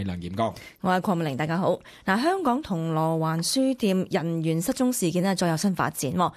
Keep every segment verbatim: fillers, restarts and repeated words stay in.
係梁炎剛，我係鄺美玲，大家好。嗱，香港銅鑼灣書店人員失蹤事件呢，再有新發展。咁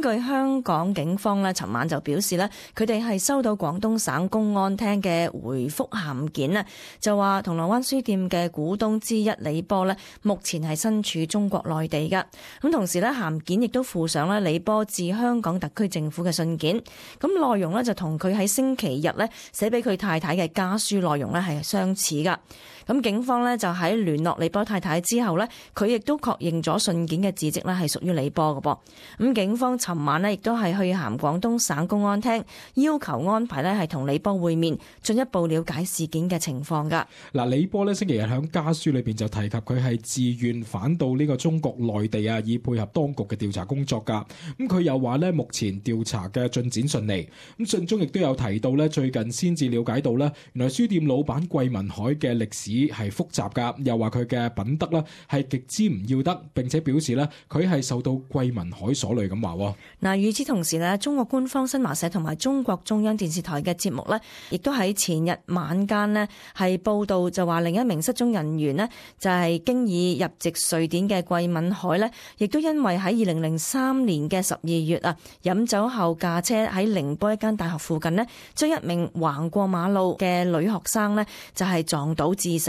據香港警方呢，尋晚就表示呢，佢哋係收到廣東省公安廳嘅回覆函件呢，就話銅鑼灣書店嘅股東之一李波呢，目前係身處中國內地噶。咁同時呢，函件亦都附上呢李波致香港特區政府嘅信件。咁內容呢，就同佢喺星期日呢寫俾佢太太嘅家書內容呢係相似噶。咁警方呢，就喺聯絡李波太太之後呢，佢亦都確認咗信件嘅字跡呢係屬於李波嘅噃。咁警方尋晚呢，亦都係去函廣東省公安廳，要求安排呢係同李波會面，進一步了解事件嘅情況噶。嗱，李波呢星期日喺家書裏邊就提及佢係自願返到呢個中國內地啊，以配合當局嘅調查工作噶。咁佢又話呢，目前調查嘅進展順利。咁信中亦都有提到呢，最近先至了解到呢，原來書店老闆桂民海嘅歷史係複雜噶，又話佢嘅品德呢係極之唔要得，並且表示呢，佢係受到桂民海所累咁話。嗱，與此同時呢，中國官方新華社同埋中國中央電視台嘅節目呢，亦都喺前日晚間呢係報道，就話另一名失蹤人員呢，就係經已入籍瑞典嘅桂民海呢，亦都因為喺二零零三年嘅十二月啊，飲酒後駕車喺寧波一間大學附近呢，將一名橫過馬路嘅女學生呢，就係撞倒致死。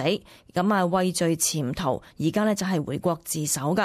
咁啊，畏罪潛逃，而家呢就係回國自首噶。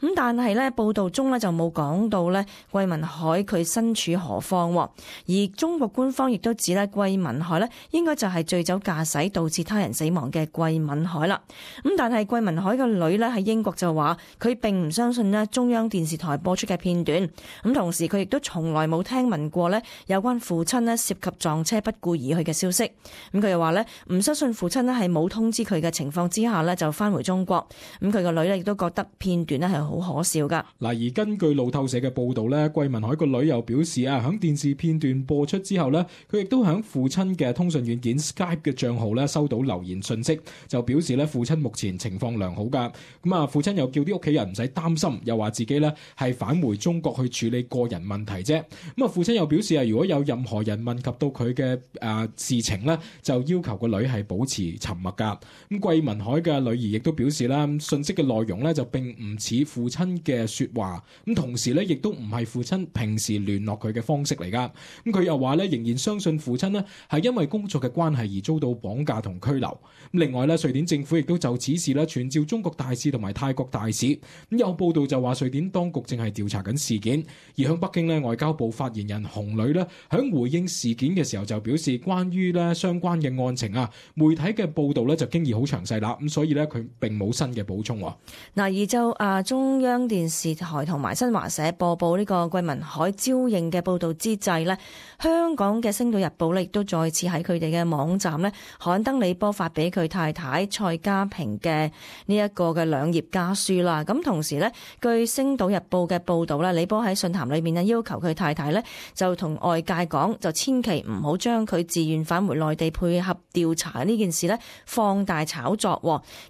咁但係呢，報道中呢就冇講到呢桂民海佢身處何方，而中國官方亦都指呢桂民海呢應該就係醉酒駕駛導致他人死亡嘅桂民海啦。咁但係桂民海嘅女呢喺英國就話佢並唔相信呢中央電視台播出嘅片段。咁同時佢亦都從來冇聽聞過呢有關父親呢涉及撞車不顧而去嘅消息。咁佢又話呢唔相信父親呢係冇通知佢嘅情況之下呢就翻回中國。咁佢個女呢亦都覺得片段呢係好可笑噶。嗱，而根據路透社嘅報道呢，桂民海個女又表示啊，響電視片段播出之後呢，佢亦都響父親嘅通訊軟件 Skype 嘅賬號呢收到留言信息，就表示呢父親目前情況良好噶。咁啊，父親又叫啲屋企人唔使擔心，又話自己呢係返回中國去處理個人問題啫。咁啊，父親又表示啊，如果有任何人問及到佢嘅誒事情呢，就要求個女係保持沉默噶。咁桂民海嘅女兒亦都表示啦，信息嘅內容呢就並唔似父親嘅說話，咁同時呢亦都唔係父親平時聯絡佢嘅方式嚟噶。咁佢又話呢，仍然相信父親呢係因為工作嘅關係而遭到綁架同拘留。咁另外呢，瑞典政府亦都就此事呢傳召中國大使同埋泰國大使。咁有報道就話瑞典當局正係調查緊事件。而向北京呢，外交部發言人洪磊呢響回應事件嘅時候就表示，關於呢相關嘅案情啊，媒體嘅報道呢就經已好詳細啦。咁所以呢，佢並冇新嘅補充。嗱，而就啊中央電視台同埋新華社播報呢個桂民海招認嘅報道之際呢，香港嘅《星島日報》呢亦都再次喺佢哋嘅網站呢刊登李波發俾佢太太蔡家平嘅呢一個嘅兩頁家書啦。咁同時呢，據《星島日報》嘅報道呢，李波喺信函裏面呢要求佢太太呢就同外界講，就千祈唔好將佢自願返回內地配合調查呢件事呢放大炒作，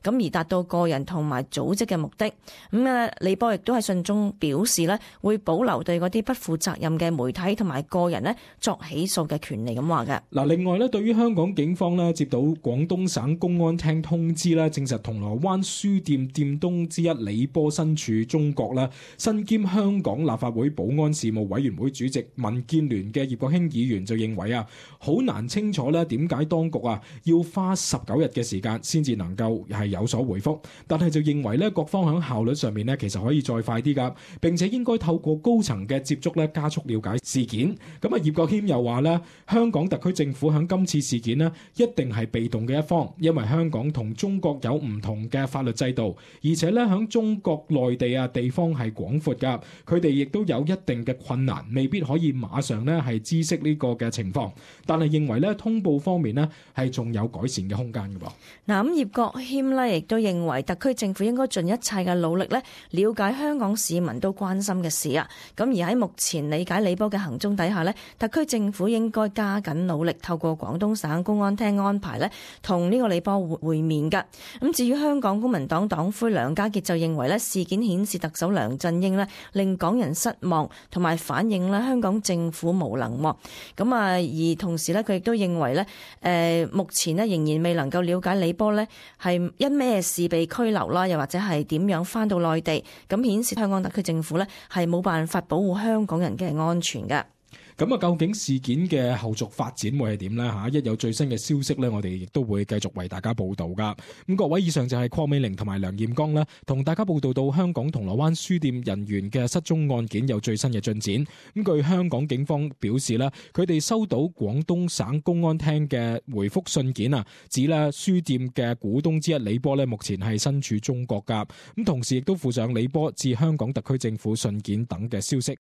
咁而達到個人同埋組織嘅目的。咁啊，李波亦都喺信中表示呢會保留對嗰啲不負責任嘅媒體同埋個人呢作起訴嘅權利咁話嘅。嗱，另外呢，對於香港警方呢接到廣東省公安廳通知呢，證實銅鑼灣書店店東之一李波身處中國啦，身兼香港立法會保安事務委員會主席民建聯嘅葉國興議員就認為啊，好難清楚呢點解當局啊要花十九日嘅時間先至能夠係有所回覆，但係就認為呢各方響效率上面呢其實可以再快啲噶，並且應該透過高層嘅接觸呢加速了解事件。咁啊，葉國謙又話呢，香港特區政府響今次事件呢一定係被動嘅一方，因為香港同中國有唔同嘅法律制度，而且呢響中國內地啊地方係廣闊噶，佢哋亦都有一定嘅困難，未必可以馬上呢係知悉呢個嘅情況，但係認為呢通報方面呢係仲有改善嘅空間嘅噃。嗱，咁葉國謙呢亦都認為特區政府應該盡一切嘅努力呢了解香港市民都關心嘅事啊。咁而喺目前理解李波嘅行蹤底下呢，特區政府應該加緊努力，透過廣東省公安廳安排呢同呢個李波會會面噶。咁至於香港公民黨黨魁梁家傑就認為呢事件顯示特首梁振英呢令港人失望，同埋反映呢香港政府無能。咁啊，而同時呢，佢亦都認為呢誒目前呢仍然未能夠了解李波波呢係因咩事被拘留啦，又或者係點樣翻到內地，咁顯示香港特區政府呢係冇辦法保護香港人嘅安全嘅。咁啊，究竟事件嘅後續發展會係點呢？嚇，一有最新嘅消息呢，我哋亦都會繼續為大家報導噶。咁各位，以上就係鄺美玲同埋梁彥剛呢，同大家報導到香港銅鑼灣書店人員嘅失蹤案件有最新嘅進展。咁據香港警方表示呢，佢哋收到廣東省公安廳嘅回覆信件啊，指呢書店嘅股東之一李波呢，目前係身處中國噶。咁同時亦都附上李波致香港特區政府信件等嘅消息。